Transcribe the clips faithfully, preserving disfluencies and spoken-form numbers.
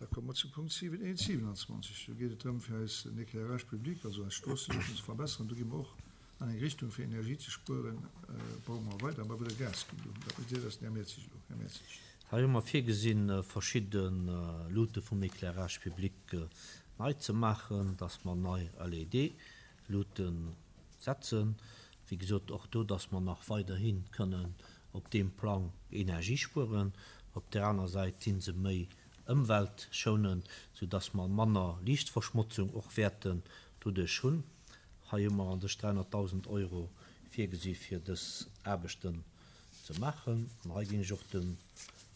Da komme mer zu Punkt siwen eent siewenundzwanzeg. Do geet et drëm, fir eis den Éclairage public, also eis Stroosseluuchten ze verbessern. Do gi mer och an eng Richtung, fir Energie ze spueren, brauche mer weider, mer wëlle Gas ginn do. Dat mécht Dir, dat ass den Här Mertzig elo. Här Mertzig. Hei hu mer virgesinn, verschidde Luute vum Éclairage public nei ze maachen, dass mer nei L E D-Luute setzen. Wéi gesot, och do, dass mer nach weiderhi kënnen op deem Plang Energie spueren. Op der aner Säit si se méi ëmweltschonend, soudass mer manner Liichtverschmotzung och wäerten doduerch hunn. Hei hu mer an sech dräihunnertdausend Euro virgesi fir dës Aarbechten ze maachen. An hei ginn ech och de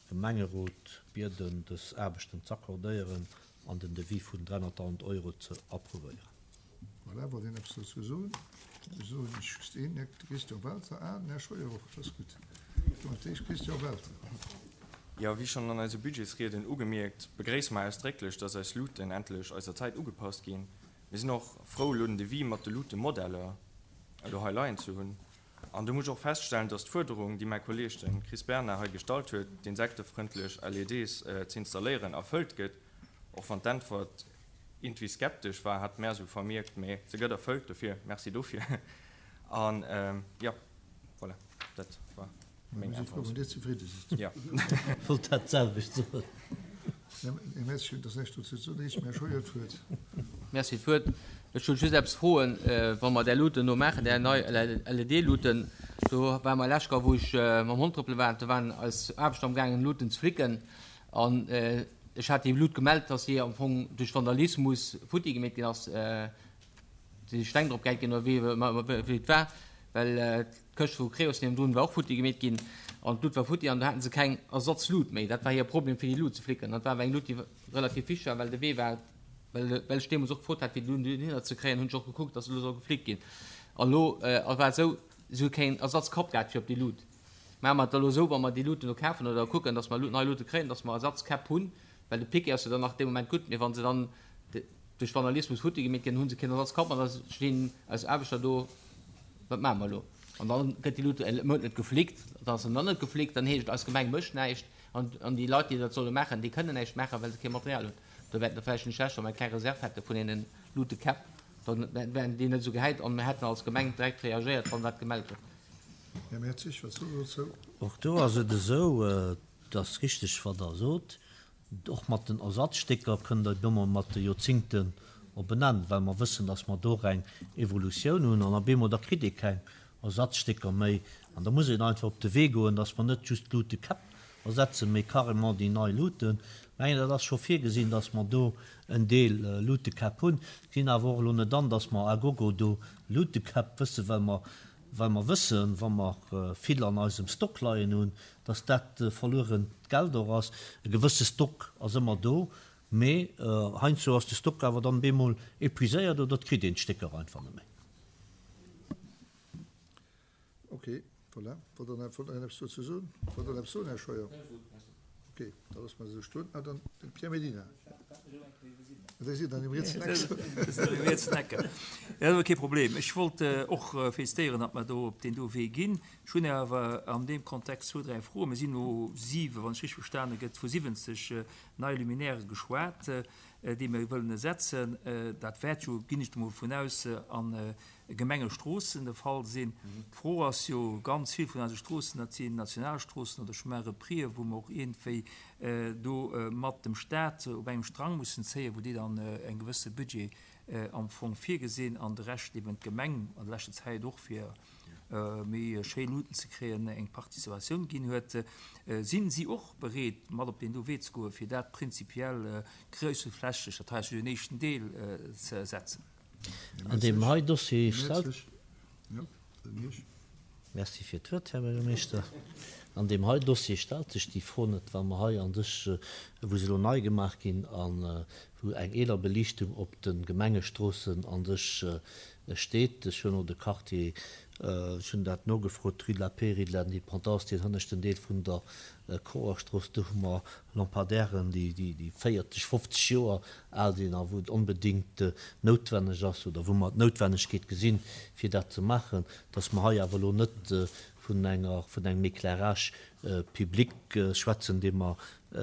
Gemengerot bieden, dës Aarbechten ze accordéieren an den Devis vun dräihunnertdausend Euro ze approuvéieren. Voilà, wollt een eppes dozou soen? Soen ech just een, Här Christian Welter. Ah, den Här Scheuer och, dat ass gutt. Donc, d'éischt Christian Welter. Ja, wéi schonn an eise Budgetsrieden ugemierkt, begréisse mer ausdrécklech, dass eis Luuten endlech eiser Zäit ugepasst ginn. Mir sinn och frou, elo den Devis mat de Luutemodeller elo hei leien ze hunn. An do muss ech och feststellen, dass d'Fuerderung, déi mäi Kolleeg, de Chris Bernard, hei gestallt huet, d'insektefrëndlech L E Ds ze installéieren, erfëllt gëtt. Och wann d'Äntwert irgendwie skeptesch war, hat mär esou vermierkt, mee se gëtt erfëllt, dofir merci dofir. An ja, voilà, dat war meng Mir si frou, Äntwert. wann Dir zefridde sidd. Ja. Wollt dat selwecht soen. Här Mertzig, hutt Der näischt dozou ze soen? Eescht, Här Scheuer, d'Wuert. Merci, d'Wuert. Ech wollt just eppes froen, wa mer där Luuten do maachen, där nei L E D-Luuten, do war mer lescht Joer, wou ech mam Hond trëppele war, do waren eis Aarbechter amgaangen, Luuten ze flicken. An ech hat déi Lut gemellt, dass si am Fong duerch Vandalismus futti gemeet ginn ass, si Steng drop gehäit ginn oder wéi, wéi et war, well d'Këscht vu Creos niewendrun war och futti gemeet ginn an d'Lut war futti an do haten se keng Ersatzlut méi. Dat war hir Problem, fir déi Lut ze flicken. Dat war awer eng Lut, déi relativ wichteg war, well de Wee war, well, well ech deemools och gefrot hat, fir déi Lut dohinner ze kréien, hunn ech och gekuckt, dass se elo soll geflickt ginn. An elo war et esou, se hu keen Ersatzkapp gehat fir op déi Lut. Maache mer et elo esou, wa mer déi Luten do kafen oder kucken, dass mer nei Lute kréien, dass mer Ersatzkäpp hunn, well de Piquet ass jo dann nach dee Moment gutt, mee wa se dann duerch Vandalismus futti gemeet ginn, hu se keen Ersatzkapp an da stinn eis Aarbechter do, wat maache mer elo? An dann gëtt déi Lut e Mount net geflickt, dann ass se nach net geflickt, dann heescht et, eis Gemeng mécht näischt an, an déi Leit, déi dat solle maachen, déi kënnen näischt maachen, well se kee Material hunn. Do wäerten der vläicht nicht schlecht, wa mer eng kleng Reserve hätte vun deenen Lutekäpp, dann wären déi net esou gehäit an mir hätten als Gemeng direkt reagéiert, wann dat gemellt gëtt. Här Mertzig, wat sot Der dozou? Och do ass et esou, et ass richteg, wat Der sot, och mat den Ersatzstécker kënnt Der ëmmer mat de Joerzingten op en Enn, well mer wëssen, dass mer do och eng Evolutioun hunn an op eemol da kritt ee keng Ersatzstécker méi. An da muss een einfach op de Wee goen, dass mer net just d'Lutekäpp ersetzen, mee carrément déi nei Luten. Ich meine, dat ass scho virgesinn, dass mer do en Deel Lutekäpp hunn. Sinn awer och elo net an, dass mer a gogo do Lutekäpp wëssen, well mer, well mer wëssen, wa mer vill an eisem Stock leien hunn, dass dat verluerent Geld och ass. E gewësse Stock ass ëmmer do, mee heiansdo ass de Stock awer dann bemol épuiséiert oder kritt een d'Stécker einfach net méi. Okay, voilà. Wollt Der nach, wollt Der eppes dozou soen? Wollt Der eppes soen, Här Scheuer? Okay, da lassen wir se stoen. Ah, dann den Pierre Medina. Der sieht dann im rietsen Eck. Ja, dat ass kee Problem. Ech wollt och felicitéieren, datt mer do op deen do Wee ginn. Ech hunn awer an deem Kontext zwou, dräi Froen. Mir sinn no siwe, wann ech richtig verstane gëtt, vu siwwenzeg neie Luminaire geschwat, déi mir wëllen ersetzen. Dat wäert jo, ginn ech emol vun aus, an Gemengestroossen de Fall sinn. D'Fro ass jo, ganz vill vun eise Stroossen, dat sinn Nationalstroossen oder Chemin repris, wou mer och iergendwéi do mat dem Staat op engem Strang mussen zéien, wou déi dann eng gewësse Budget am Fong virgesinn an de Rescht eben d'Gemeng an der leschter Zäit och fir méi schéi Luten ze kréien eng Participatioun ginn huet. Sinn si och bereet, mat op den do Wee ze goen, fir dat prinzipiell gréissenflächeg, dat heißt den éischten Deel, ze setzen? An deem hei Dossier stellt Merci fir d'Wuert, Här Buergermeeschter. An deem hei Dossier stellt sech déi Fro net, well mer hei an sech, wou se elo nei gemaach ginn an wou eng eeler Beliichtung op de Gemengestroossen an sech steet. Ech hunn och de Quartier, ech hunn dat nogefrot, Rue de la Paix, Rue de l'Indépendance, deen hënneschten Deel vun der Chorerstrooss, do hu mer Lampadaires, déi, déi, déi véierzeg, fofzeg Joer al sinn a wou et onbedéngt noutwenneg ass oder wou mer d'Noutwennegkeet gesinn, fir dat ze maachen, dass mer hei awer elo net vun enger, vun engem Éclairage public schwätzen, dee mer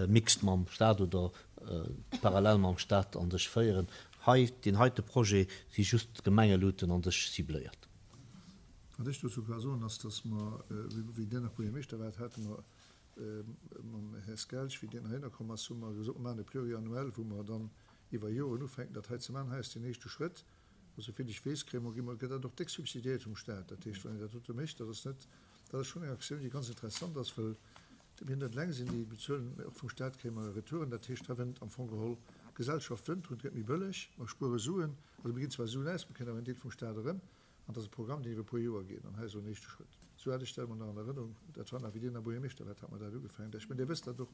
mixt mam Staat oder parallel mam Staat an sech féieren. Hei, deen heite Projet si just d'Gemengeluuten an sech cibléiert. Wat ech dozou ka soen, ass, dass mer, wéi Dir nach Buergermeeschter waart, hate mer mam Här Skelch, wéi deen heihinner komm ass, hu mer gesot, mer maachen e Pluriannuel, wou mer dann iwwer Joren ufänken, dat hei ze maachen. Hei ass deen éischte Schrëtt. A souvill ech weess, kréie mer, gi mer, gëtt dat och déck subsidiéiert vum Staat. Dat heescht, wann een dat dote mécht, dat ass net, dat ass schonn eng Aktioun, déi ganz interessant ass, well mir net eleng sinn, déi bezuelen, mä och vum Staat kréie mer e Retouren. Dat heescht, hei wënnt am Fong geholl d'Gesellschaft wënnt drun, et gëtt méi bëlleg, mer spuere Suen, also mir ginn zwar Suen aus, mer kréien awer en Deel vum Staat erëm. An dat ass e Programm, deen iwwer e puer Joer geet. An hei ass elo en éischte Schrëtt. Sou hat ech dat emol nach an Erënnerung. Dat war nach, wéi Dir nach Buergermeeschter waart, hat mer dat ugefaangen. Ech mengen, Dir wësst dat och,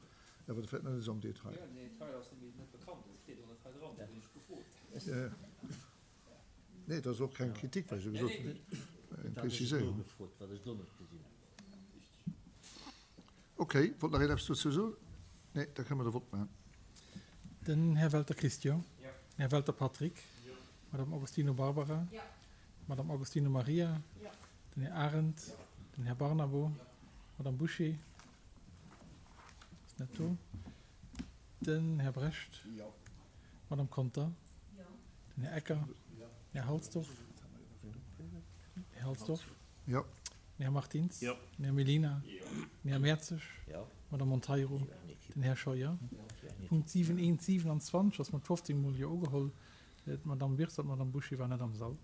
awer vläicht net esou am Detail. Jo, den Detail ass nämlech net bekannt. Et steet och net hei dran. Do hunn ech gefrot. Jo, jo. Nee, dat ass och keng Kritik, wat ech elo gesot hunn. Eng Preziséierung. Okay, wollt nach een eppes dozou soen? Nee, da kënne mer de Vott maachen. Den Här Welter Christian. Den Här Welter Patrick. D'Madame Agostino Barbara. D'Madame Agostino Maria. Den Här Arendt. Den Här Barnabo. D'Madame Bouché ass net do. Den Här Brecht. D'Madame Conter. Den Här Ecker. Den Här Halsdorf. Här Halsdorf. Jo. Den Här Martins. Den Här Mellina. Den Här Mertzig. D'Madame Monteiro. Den Här Scheuer. Punkt siwen eent siwenanzwanzeg ass mat fofzéng Mol Jo ugeholl. D'Madame Wirtz an d'Madame Bouché waren net am Sall.